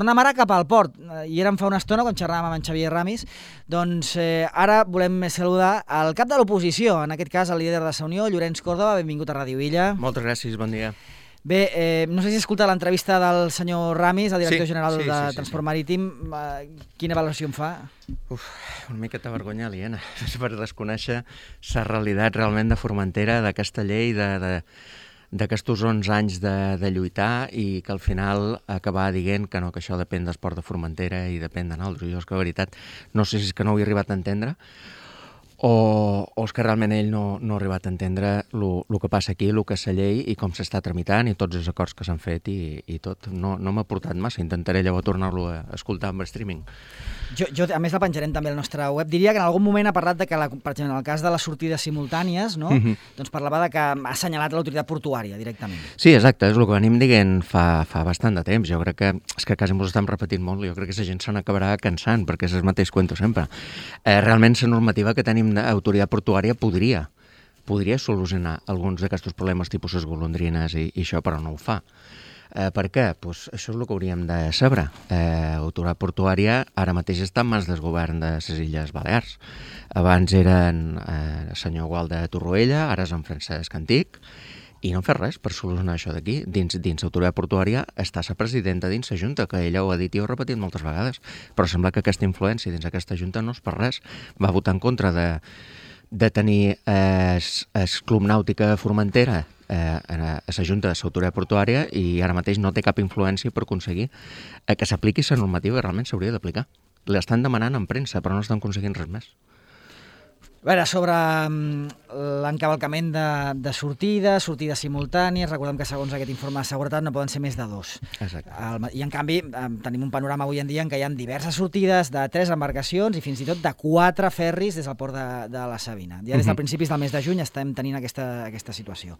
tornem ara cap al port. I érem fa una estona quan xerràvem amb en Xavier Ramis. Doncs ara volem saludar el cap de l'oposició, en aquest cas el líder de Sa Unió, Llorenç Córdoba. Benvingut a Ràdio Illa. Moltes gràcies, bon dia. Bé, no sé si escolta l'entrevista del senyor Ramis, el director general de Transport Marítim. Quina valoració en fa? Una miqueta vergonya aliena per desconèixer la realitat realment de Formentera, d'aquesta llei, d'aquests 11 anys de lluitar i que al final acabar dient que no, que això depèn d'Esport de Formentera i depèn de nosaltres. Jo és que, la veritat, no sé si és que no ho he arribat a entendre o és que realment ell no ha arribat a entendre el que passa aquí, el que és la llei i com s'està tramitant i tots els acords que s'han fet i tot. No m'ha portat massa, intentaré llavors tornar-lo a escoltar amb streaming. Jo, a més, la penjarem també al nostre web. Diria que en algun moment ha parlat de que, per exemple, en el cas de les sortides simultànies, no? Doncs parlava de que ha assenyalat l'autoritat portuària directament. Sí, exacte, és el que venim dient fa bastant de temps. Jo crec que és que quasi ens ho estem repetint molt. Jo crec que la gent se n'acabarà cansant perquè és el mateix cuento sempre. Realment la normativa que tenim d'autoritat portuària podria solucionar alguns d'aquests problemes tipus les golondrines i això, però no ho fa. Per què? Pues això és el que hauríem de saber. L'autoritat portuària ara mateix està en mans del govern de les Illes Balears. Abans eren el senyor Gual de Torroella, ara és en Francesc Antic, i no han fet res per solucionar això d'aquí. Dins l'autoritat portuària està la presidenta dins la Junta, que ella ho ha dit i ho ha repetit moltes vegades, però sembla que aquesta influència dins aquesta Junta no és per res. Va votar en contra de tenir el Club Nàutica Formentera a la Junta de l'Autoritat Portuària i ara mateix no té cap influència per aconseguir que s'apliqui la normativa que realment s'hauria d'aplicar. L'estan demanant en premsa, però no estan aconseguint res més. A veure, sobre l'encavalcament de sortides simultànies, recordem que segons aquest informe de seguretat no poden ser més de 2. Exacte. I en canvi tenim un panorama avui en dia en què hi ha diverses sortides de 3 embarcacions i fins i tot de 4 ferris des del port de la Sabina. Ja des del principis del mes de juny estem tenint aquesta situació.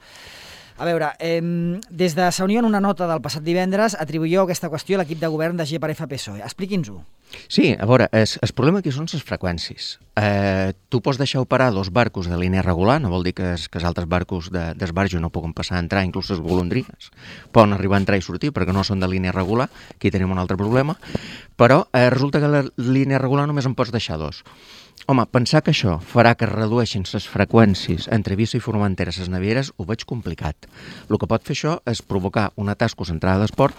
A veure, des de Sa Unió, en una nota del passat divendres, atribuïu aquesta qüestió a l'equip de govern de GPF-PSOE. Expliqui'ns-ho. Sí, a veure, el problema aquí són les freqüències. Tu pots deixar operar 2 barcos de línia regular, no vol dir que els altres barcos d'esbarjo no puguen passar a entrar, inclús les golondrines poden arribar a entrar i sortir perquè no són de línia regular, aquí tenim un altre problema, però resulta que la línia regular només en pots deixar 2. Home, pensar que això farà que es redueixin les freqüències entre Eivissa i Formentera a les navieres ho veig complicat. El que pot fer això és provocar un atasco centrada d'esport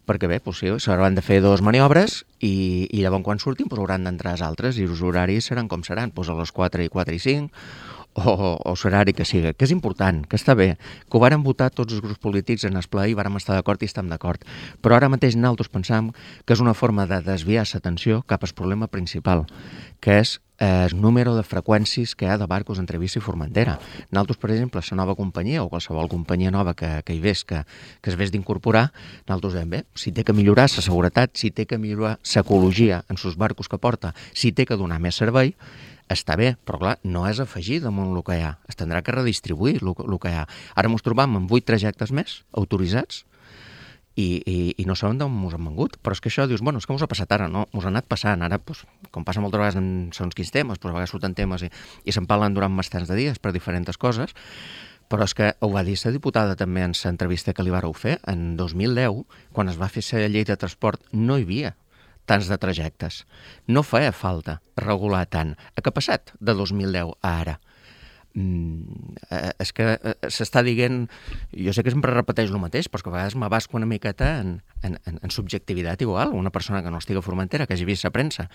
perquè bé, sí, s'hauran de fer 2 maniobres i llavors quan surtin hauran d'entrar els altres i els horaris seran com seran, a les 4 i 5 o l'horari que sigui, que és important, que està bé, que ho varen votar tots els grups polítics en el ple i vàrem estar d'acord i estem d'acord. Però ara mateix nosaltres pensam que és una forma de desviar l'atenció cap al problema principal, que és el número de freqüències que hi ha de barcos entre Eivissa i Formentera. Nosaltres, per exemple, la nova companyia o qualsevol companyia nova que hi ves, que es ves d'incorporar, nosaltres dèiem, bé, si té que millorar la seguretat, si té que millorar l'ecologia en els barcos que porta, si té que donar més servei, està bé, però clar, no és afegir damunt el que hi ha, es tindrà que redistribuir el que hi ha. Ara ens trobam amb 8 trajectes més autoritzats i no sabem d'on ens han vengut, però és que això dius, bueno, és que ens ha passat ara, no? Ens ha anat passant, ara, com passa moltes vegades en segons quins temes, a vegades surten temes i se'n parlen durant bastants de dies per diferents coses, però és que ho va dir la diputada també en l'entrevista que li vareu fer, en 2010, quan es va fer la llei de transport, no hi havia tants de trajectes. No feia falta regular tant. Què ha passat de 2010 a ara? És que s'està dient, jo sé que sempre repeteix el mateix, però que a vegades m'abasco una miqueta en subjectivitat igual, una persona que no estigui a Formentera, que hagi vist la premsa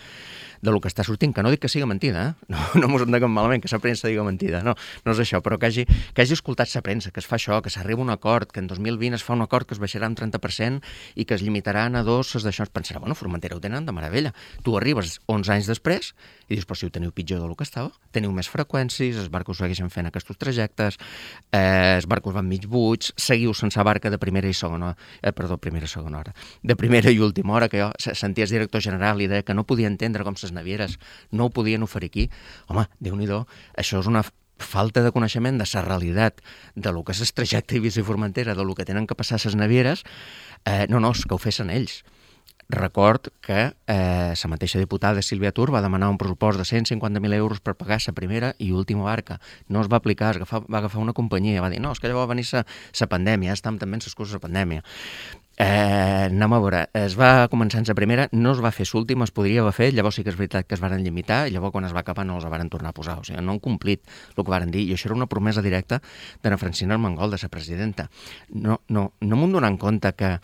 del que està sortint, que no dic que sigui mentida, no mos entenguem malament que la premsa diga mentida, no és això, però que hagi escoltat la premsa, que es fa això, que s'arriba a un acord, que en 2020 es fa un acord que es baixarà un 30% i que es limitaran a 2, d'això es pensarà, bueno, Formentera ho tenen de meravella. Tu arribes 11 anys després i dius, però si ho teniu pitjor del que estava, teniu més freqüències, els barcos segueixen fent aquests trajectes, els barcos van mig buits, seguiu sense barca de primera i segona hora, de primera i última hora, que jo sentia el director general i deia que no podia entendre com les navieres no ho podien oferir aquí. Home, Déu-n'hi-do, això és una falta de coneixement de la realitat de lo que és el trajecte Eivissa i Formentera, de lo que tenen que passar les navieres, no, és que ho fessin ells. Record que la mateixa diputada Sílvia Tur va demanar un pressupost de 150.000 euros per pagar la primera i última barca. No es va aplicar, va agafar una companyia, va dir, no, és que llavors va venir la pandèmia, estàvem també en les coses de pandèmia. Anem a veure, es va començar en la primera, no es va fer l'última, es podria haver fet, llavors sí que és veritat que es van limitar, i llavors quan es va acabar no els van tornar a posar, o sigui, no han complit el que van dir, i això era una promesa directa d'Anna Francina Armengol, de la presidenta. No m'ho donen compte que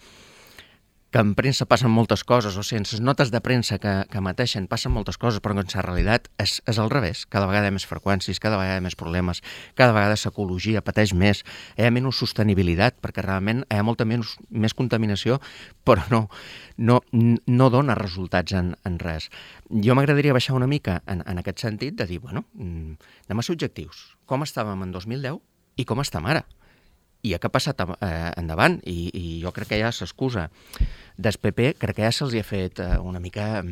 en premsa passen moltes coses, o sigui, en les notes de premsa que mateixen passen moltes coses, però en la realitat és al revés. Cada vegada hi ha més freqüències, cada vegada hi ha més problemes, cada vegada l'ecologia pateix més, hi ha menys sostenibilitat, perquè realment hi ha molta més contaminació, però no dona resultats en res. Jo m'agradaria baixar una mica en aquest sentit de dir, bueno, anem a ser objectius. Com estàvem en 2010 i com estem ara? I què ha passat endavant? I jo crec que ja s'excusa del PP, crec que ja se'ls ha fet una mica...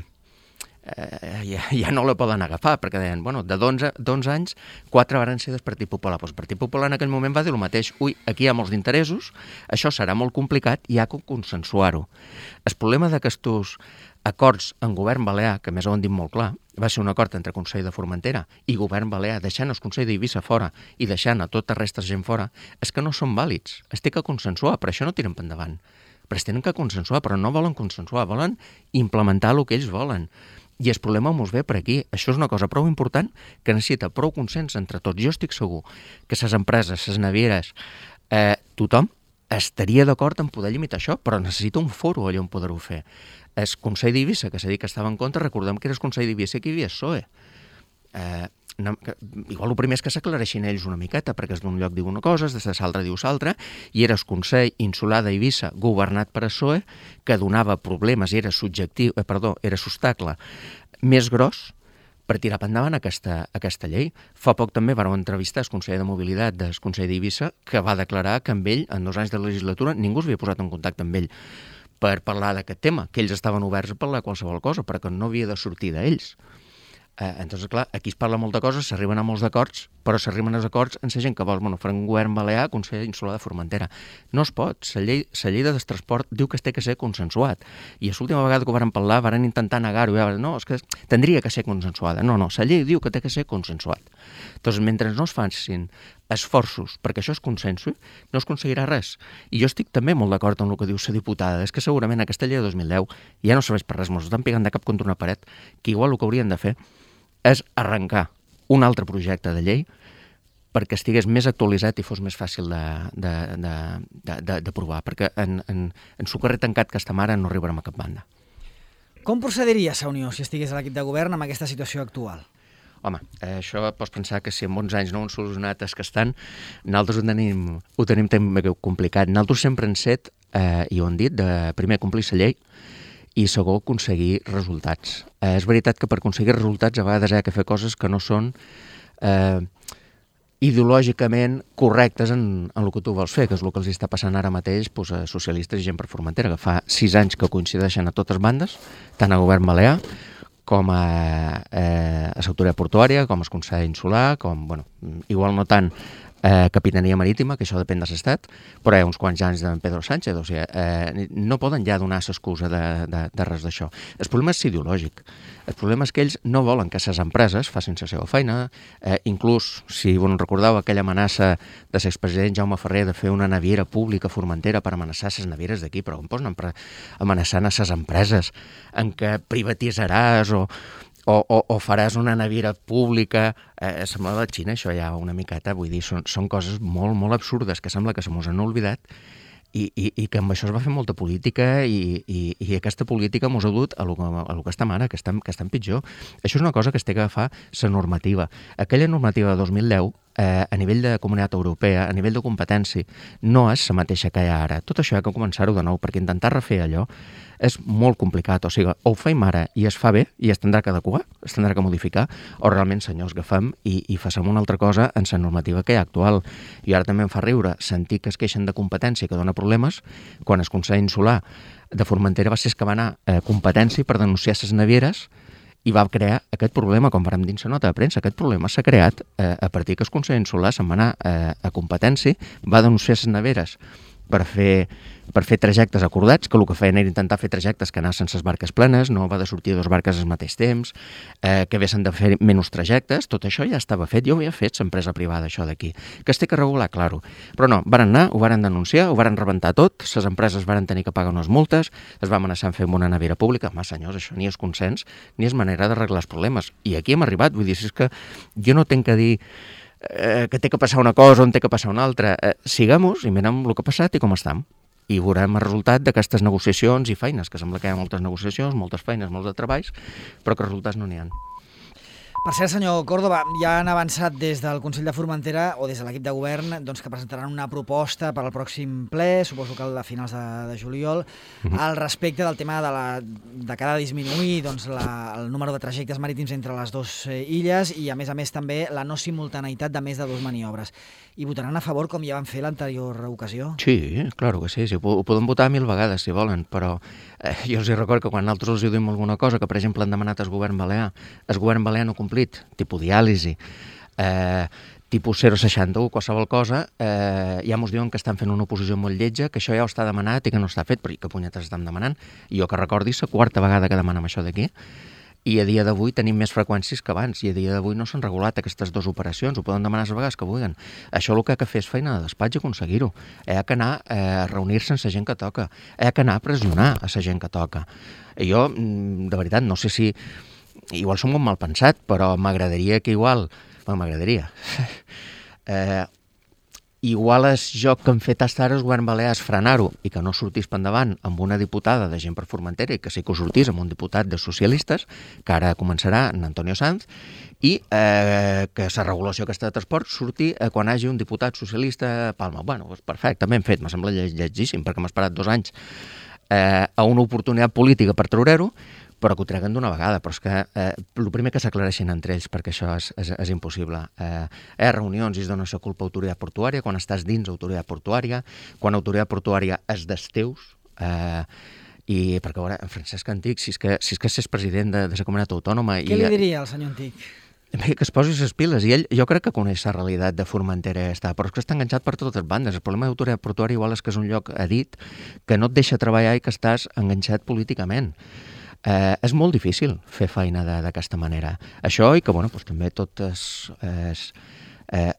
ja no la poden agafar, perquè deien, bueno, de 11 anys, 4 van ser del Partit Popular. Doncs el Partit Popular en aquell moment va dir el mateix. Ui, aquí hi ha molts interessos, això serà molt complicat i hi ha que consensuar-ho. El problema d'aquests acords en govern balear, que més ho han dit molt clar, va ser un acord entre Consell de Formentera i govern balear, deixant el Consell d'Eivissa fora i deixant a tota resta de gent fora, és que no són vàlids. Es té que consensuar, per això no tiren per endavant. Però es tenen que consensuar, però no volen consensuar, volen implementar el que ells volen. I el problema mos ve per aquí. Això és una cosa prou important que necessita prou consens entre tots. Jo estic segur que les empreses, les navieres, tothom estaria d'acord en poder limitar això, però necessita un foro allà on poder-ho fer. El Consell d'Eivissa, que s'ha dit que estava en contra, recordem que era el Consell d'Eivissa que hi havia PSOE. Igual el primer és que s'aclareixin ells una miqueta, perquè és d'un lloc diu una cosa, des de l'altre diu l'altra, i era el Consell Insular d'Eivissa, governat per PSOE, que donava problemes i era l'obstacle més gros per tirar per endavant aquesta llei. Fa poc també vam entrevistar el conseller de Mobilitat del Consell d'Eivissa, que va declarar que amb ell, en 2 anys de legislatura, ningú s'havia posat en contacte amb ell per parlar d'aquest tema, que ells estaven oberts a parlar qualsevol cosa, perquè no havia de sortir d'ells. Entonces, clar, aquí es parla molt de coses, s'arriben a molts acords, però s'arriben als acords en la gent que vol, farem un govern balear, Consell Insular de Formentera. No es pot. La llei de transport diu que es té que ser consensuat. I l'última vegada que ho van parlar, van intentar negar-ho. No, és que tindria que ser consensuada. No, la llei diu que té que ser consensuat. Doncs mentre no es facin esforços perquè això es consensi, no es aconseguirà res. I jo estic també molt d'acord amb el que diu la diputada. És que segurament aquesta llei de 2010 ja no serveix per res, ens estan pegant de cap contra una paret, que igual el que haurien de fer és arrencar un altre projecte de llei perquè estigués més actualitzat i fos més fàcil de provar, perquè en su carrer tancat que estem ara no arribarem a cap banda. Com procediria la Unió si estigués a l'equip de govern amb aquesta situació actual? Home, això pots pensar que si en bons anys no ho han solucionat els que estan, nosaltres ho tenim també complicat. Nosaltres sempre hem set, i ho han dit, de primer complir la llei i segon, aconseguir resultats. És veritat que per aconseguir resultats a vegades hi ha que fer coses que no són ideològicament correctes en el que tu vols fer, que és el que els està passant ara mateix a socialistes i gent per Formentera, que fa 6 anys que coincideixen a totes bandes, tant a govern balear com a l'autoritat portuària, com al Consell Insular, com, igual no tant Capitania Marítima, que això depèn de l'Estat, però hi ha uns quants anys de Pedro Sánchez, o sigui, no poden ja donar l'excusa de res d'això. El problema és ideològic. El problema és que ells no volen que les empreses facin la seva feina, inclús, si vos recordeu, aquella amenaça de l'expresident Jaume Ferrer de fer una naviera pública a Formentera per amenaçar les navieres d'aquí, però com pots anar amenaçant a les empreses en què privatitzaràs o faràs una naviera pública, sembla la Xina, això ja una miqueta, vull dir, són coses molt, molt absurdes que sembla que se mos han oblidat i que amb això es va fer molta política i aquesta política mos ha dut a lo que estem ara, que estem pitjor. Això és una cosa que es té que agafar la normativa. Aquella normativa de 2010, a nivell de Comunitat Europea, a nivell de competència, no és la mateixa que hi ha ara. Tot això ha que començar-ho de nou, perquè intentar refer allò és molt complicat. O sigui, o ho feim ara i es fa bé i es tindrà que adequar, es tindrà que modificar, o realment, senyors, agafem i facem una altra cosa en la normativa que hi ha actual. I ara també em fa riure sentir que es queixen de competència que dona problemes, quan el Consell Insular de Formentera va ser que va anar a competència per denunciar les navieres i va crear aquest problema, com vam dir en la nota de premsa. Aquest problema s'ha creat a partir que el Consell Insular se'n va anar a competència, va denunciar les navieres per fer trajectes acordats, que el que feien era intentar fer trajectes que anar sense les barques plenes, no va de sortir 2 barques al mateix temps, que haguessin de fer menys trajectes, tot això ja estava fet, jo ho havia fet l'empresa privada, això d'aquí. Que es té que regular, claro. Però no, varen anar, ho varen denunciar, ho varen rebentar tot, les empreses varen tenir que pagar unes multes, es va amenaçar en fer una nevera pública. Home, senyors, això ni és consens, ni és manera d'arreglar els problemes. I aquí hem arribat, vull dir, és que jo no tinc que dir que té que passar una cosa o en té que passar una altra. Siguem-nos i mirem el que ha passat i com estem. I veurem el resultat d'aquestes negociacions i feines, que sembla que hi ha moltes negociacions, moltes feines, molts de treballs, però que resultats no n'hi ha. Per cert, senyor Córdoba, ja han avançat des del Consell de Formentera o des de l'equip de govern doncs, que presentaran una proposta per al pròxim ple, suposo que a finals de juliol, al respecte del tema de que ha de disminuir doncs, el número de trajectes marítims entre les dues illes i, a més també, la no simultaneïtat de més de 2 maniobres. I votaran a favor com ja van fer l'anterior ocasió? Sí, claro que sí. Ho poden votar 1000 vegades, si volen, però jo els recordo que quan nosaltres els diuen alguna cosa, que per exemple han demanat al govern balear no complit, tipus diàlisi, tipus 0,61, qualsevol cosa, ja ens diuen que estan fent una oposició molt lletja, que això ja ho està demanat i que no està fet, però que punyetes estan demanant. I jo que recordi, és la 4ª vegada que demanem això d'aquí. I a dia d'avui tenim més freqüències que abans, i a dia d'avui no s'han regulat aquestes 2 operacions, ho poden demanar les vegades que vulguin. Això el que ha de fer és feina de despatx i aconseguir-ho. Ha d'anar a reunir-se amb la gent que toca, ha d'anar a pressionar a la gent que toca. I jo, de veritat, no sé si... Igual som un mal pensat, però m'agradaria que igual... Bueno, m'agradaria... Igual el joc que han fet fins ara el govern balear és frenar-ho i que no sortís per endavant amb una diputada de gent per Formentera i que sí que ho sortís amb un diputat de socialistes, que ara començarà en Antonio Sanz, i que la regulació aquesta de transport surti quan hagi un diputat socialista a Palma. Bueno, doncs perfecte, ben fet, m'ha semblat llegíssim, perquè m'ha esperat 2 anys a una oportunitat política per treure-ho, però que ho treguen d'una vegada. Però és que el primer que s'aclareixin entre ells, perquè això és impossible. Reunions i es dona la culpa a autoritat portuària, quan estàs dins autoritat portuària, quan autoritat portuària és dels teus, i perquè, a veure, Francesc Antic, si és que és president de la comunitat autònoma... Què li diria al senyor Antic? Que es posi les piles, i ell jo crec que coneix la realitat de Formentera, però és que està enganxat per totes bandes. El problema d'autoritat portuària igual és que és un lloc, ha dit, que no et deixa treballar i que estàs enganxat políticament. És molt difícil fer feina d'aquesta manera. Això i que, bueno, doncs, també totes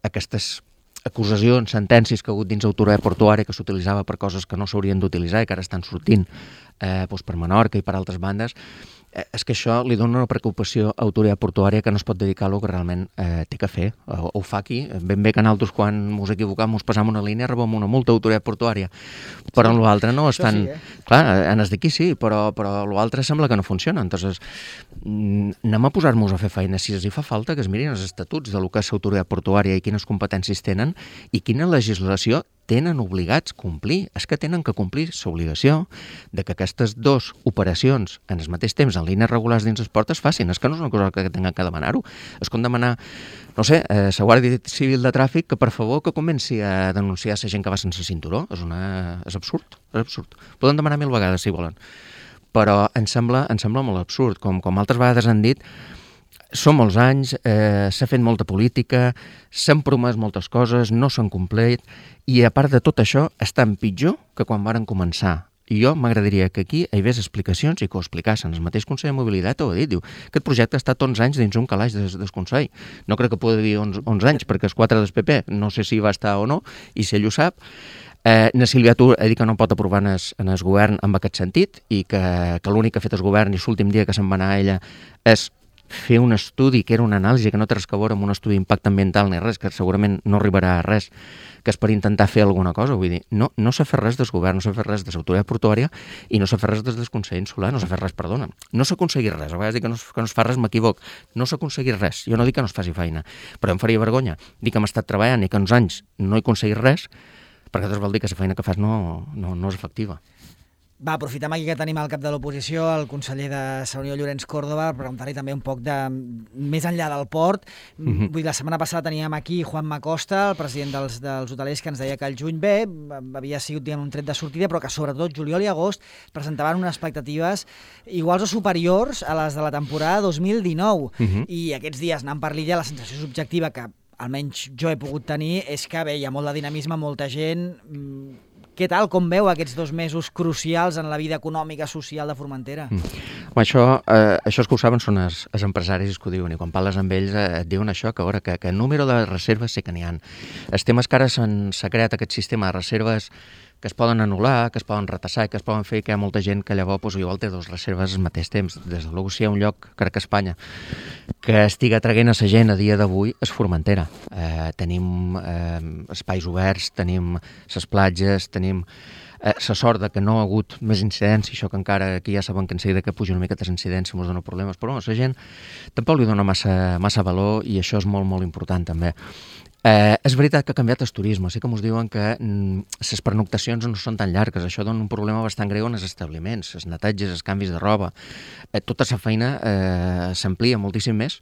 aquestes acusacions, sentències que ha hagut dins autoritat portuària que s'utilitzava per coses que no s'haurien d'utilitzar i que ara estan sortint doncs per Menorca i per altres bandes, és que això li dona una preocupació a autoritat portuària que no es pot dedicar a lo que realment té que fer. Ho fa aquí. Ben bé que nosaltres, quan ens equivocam, ens passam una línia, rebem una multa a autoritat portuària. Però en l'altre no estan... Sí, clar, en els d'aquí sí, però l'altre sembla que no funciona. Entonces, anem a posar-nos a fer feina. Si els hi fa falta, que es mirin els estatuts de lo que és autoritat portuària i quines competències tenen i quina legislació tenen obligats a complir. És que tenen que complir l'obligació de que aquestes 2 operacions en el mateix temps en línies regulars dins els ports es facin. És que no és una cosa que tinguem que demanar-ho. És com demanar, no sé, la Guàrdia Civil de Tràfic que per favor que comenci a denunciar la gent que va sense cinturó. És absurd, és absurd. Poden demanar 1000 vegades si volen. Però em sembla molt absurd. Com altres vegades han dit, són molts anys, s'ha fet molta política, s'han promès moltes coses, no s'han complert, i a part de tot això, estan pitjor que quan varen començar. I jo m'agradaria que aquí hi hagués explicacions i que ho explicassen. El mateix Consell de Mobilitat ho ha dit, diu, aquest projecte ha estat 11 anys dins un calaix del Consell. No crec que pugui dir 11 anys, perquè els 4 del PP, no sé si va estar o no, i si ell ho sap. Na Sílvia Tur ha dit que no pot aprovar en el govern en aquest sentit, i que l'únic que ha fet el govern i l'últim dia que se'n va anar a ella és fer un estudi, que era una anàlisi que no té res a veure amb un estudi d'impacte ambiental ni res, que segurament no arribarà a res, que és per intentar fer alguna cosa. Vull dir, no s'ha fet res del govern, no s'ha fet res de l'autoritat portuària i no s'ha fet res des del Consell Insular, no s'ha fet res, perdona. No s'ha aconseguit res, a vegades dic que no es fa res, m'equivoc. No s'ha aconseguit res, jo no dic que no es faci feina, però em faria vergonya dir que hem estat treballant i que uns anys no he aconseguit res, perquè llavors vol dir que la feina que fas no és efectiva. Va, aprofitem aquí que tenim al cap de l'oposició, el conseller de la Unió, Llorenç Córdoba, per preguntar-li també un poc de més enllà del port. Vull dir, la setmana passada teníem aquí Juan Macosta, el president dels hotelers, que ens deia que el juny bé havia sigut un tret de sortida, però que sobretot juliol i agost presentaven unes expectatives iguals o superiors a les de la temporada 2019. I aquests dies, anant per l'illa, la sensació subjectiva que almenys jo he pogut tenir és que bé, hi ha molt de dinamisme, molta gent... Què tal, com veu aquests 2 mesos crucials en la vida econòmica, social de Formentera? Això és que ho saben són els empresaris que ho diuen, i quan parles amb ells et diuen això, que a veure, que número de reserves sí que n'hi ha. Els temes que ara s'ha creat aquest sistema de reserves que es poden anul·lar, que es poden retassar, que es poden fer, que hi ha molta gent que llavors igual té 2 reserves al mateix temps. Des de luego, si hi ha un lloc, crec que a Espanya, que estiga traient a la gent a dia d'avui, és Formentera. Tenim espais oberts, tenim les platges, tenim la sort que no ha hagut més incidència, això que encara aquí ja saben que en seguida que puja una mica de incidència ens dona problemes, però la gent tampoc li dona massa valor i això és molt, molt important també. És veritat que ha canviat el turisme, sí que ens diuen que les pernoctacions no són tan llargues, això dona un problema bastant greu en els establiments, els netatges, els canvis de roba, tota la feina s'amplia moltíssim més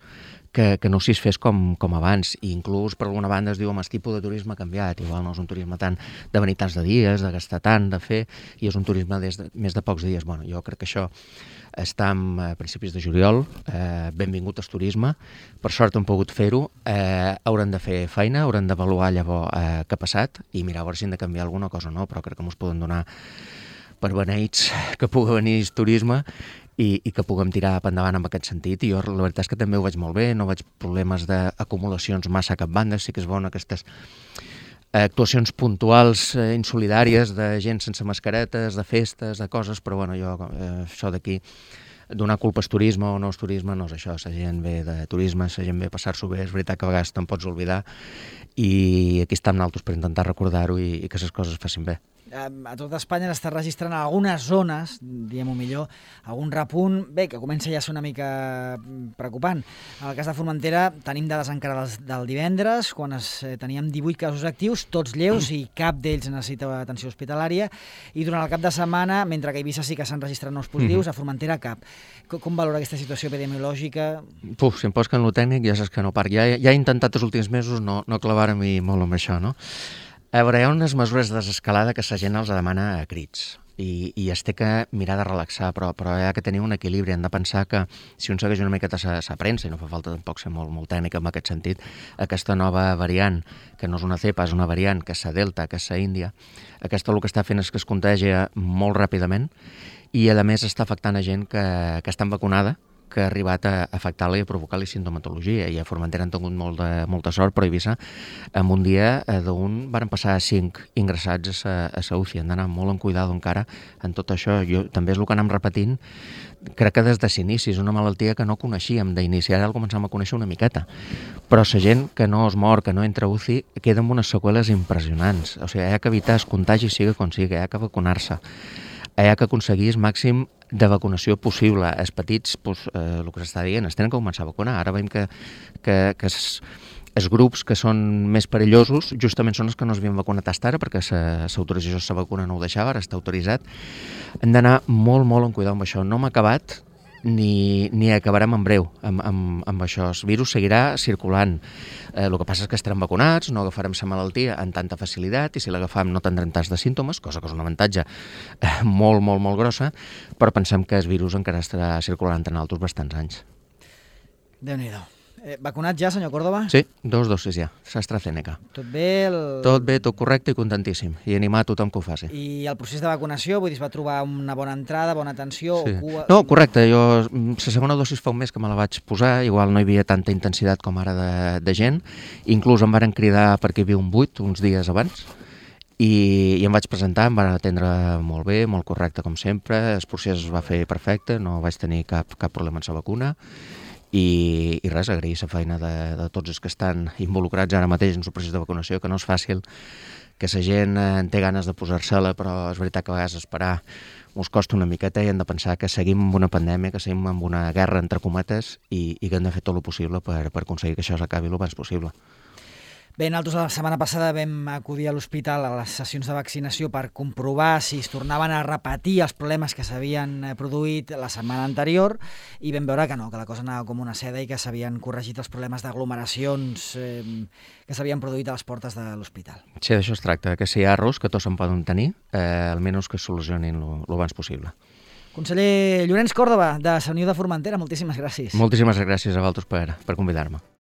que no si es fes com abans, i inclús per alguna banda es diu el tipus de turisme ha canviat, igual no és un turisme tant de venir tants de dies, de gastar tant, de fer, i és un turisme més de pocs dies. Bueno, jo crec que això està a principis de juliol, benvingut al turisme, per sort hem pogut fer-ho, haurem de fer feina, haurem d'avaluar llavors què ha passat i mirar a veure si hem de canviar alguna cosa o no, però crec que ens poden donar per beneits que pugui venir el turisme i que puguem tirar per endavant en aquest sentit. I jo la veritat és que també ho veig molt bé, no veig problemes d'acumulacions massa a cap banda, sí que és bona aquestes actuacions puntuals, insolidàries, de gent sense mascaretes, de festes, de coses, però bueno, jo això d'aquí, donar culpa al turisme o no al turisme, no és això, la gent ve de turisme, la gent ve a passar-s'ho bé, és veritat que a vegades te'n pots oblidar i aquí estem nosaltres per intentar recordar-ho i que les coses facin bé. A tot Espanya s'està registrant en algunes zones, diguem-ho millor, algun repunt, bé, que comença ja a ser una mica preocupant. En el cas de Formentera tenim dades encara del divendres, quan teníem 18 casos actius, tots lleus i cap d'ells necessita atenció hospitalària, i durant el cap de setmana, mentre que a Eivissa sí que s'han registrat nous positius, a Formentera cap. Com valora aquesta situació epidemiològica? Si em pots que en lo tècnic ja saps que no parc. Ja he intentat els últims mesos no clavar-m'hi molt amb això, no? A veure, hi ha unes mesures de desescalada que la gent els demana a crits i es té que mirar de relaxar, però hi ha que tenir un equilibri. Hem de pensar que si un segueix una miqueta la premsa, i no fa falta tampoc ser molt tècnic en aquest sentit, aquesta nova variant, que no és una cepa, és una variant, que és la Delta, que és la Índia, aquesta el que està fent és que es contagia molt ràpidament i a més està afectant a gent que està vacunada, que ha arribat a afectar-la i a provocar-li sintomatologia. I a Formentera han tingut molta sort, però a Eivissa, en un dia d'un varen passar 5 ingressats a la UCI. Han d'anar molt en cuidado encara en tot això. També és el que anem repetint, crec que des de l'inici. És una malaltia que no coneixíem. D'inici ara el començam a conèixer una miqueta. Però la gent que no es mor, que no entra a UCI, queda amb unes seqüeles impressionants. O sigui, hi ha que evitar el contagi sigui com sigui, hi ha que vacunar-se. Hi ha que aconseguir el màxim de vacunació possible. Els petits, el que s'està dient, es tenen que començar a vacunar. Ara veiem que els grups que són més perillosos justament són els que no s'havien vacunat fins ara, perquè l'autorització de la vacuna no ho deixava, ara està autoritzat. Hem d'anar molt en cuidar amb això. No hem acabat ni acabarem en breu amb això. El virus seguirà circulant. El que passa és que estarem vacunats, no agafarem la malaltia amb tanta facilitat i si l'agafam no tindrem tants de símptomes, cosa que és un avantatge molt grossa, però pensem que el virus encara estarà circulant entre nosaltres bastants anys. Déu-n'hi-do. Vacunat ja, senyor Córdoba? Sí, 2 dosis ja, l'AstraZeneca. Tot bé? Tot bé, tot correcte i contentíssim. I animar a tothom que ho faci. I el procés de vacunació, vull dir, es va trobar una bona entrada, bona atenció? Sí. O cua... No, correcte. Jo, la segona dosis fa un mes que me la vaig posar, igual no hi havia tanta intensitat com ara de gent. Inclús em varen cridar perquè hi havia un buit uns dies abans. I em vaig presentar, em van atendre molt bé, molt correcte com sempre. El procés es va fer perfecte, no vaig tenir cap problema amb la vacuna. I res, agrair la feina de tots els que estan involucrats ara mateix en el procés de vacunació, que no és fàcil, que la gent té ganes de posar-se-la, però és veritat que a vegades esperar ens costa una miqueta i hem de pensar que seguim amb una pandèmia, que seguim amb una guerra entre cometes i que hem de fer tot el possible per aconseguir que això s'acabi el més possible. Bé, nosaltres la setmana passada vam acudir a l'hospital a les sessions de vaccinació per comprovar si es tornaven a repetir els problemes que s'havien produït la setmana anterior i vam veure que no, que la cosa anava com una seda i que s'havien corregit els problemes d'aglomeracions que s'havien produït a les portes de l'hospital. Sí, d'això es tracta, que si hi ha errors, que tots en poden tenir, almenys que es solucionin el abans possible. Conseller Llorenç Córdoba, de la Unió de Formentera, moltíssimes gràcies. Moltíssimes gràcies a vosaltres per convidar-me.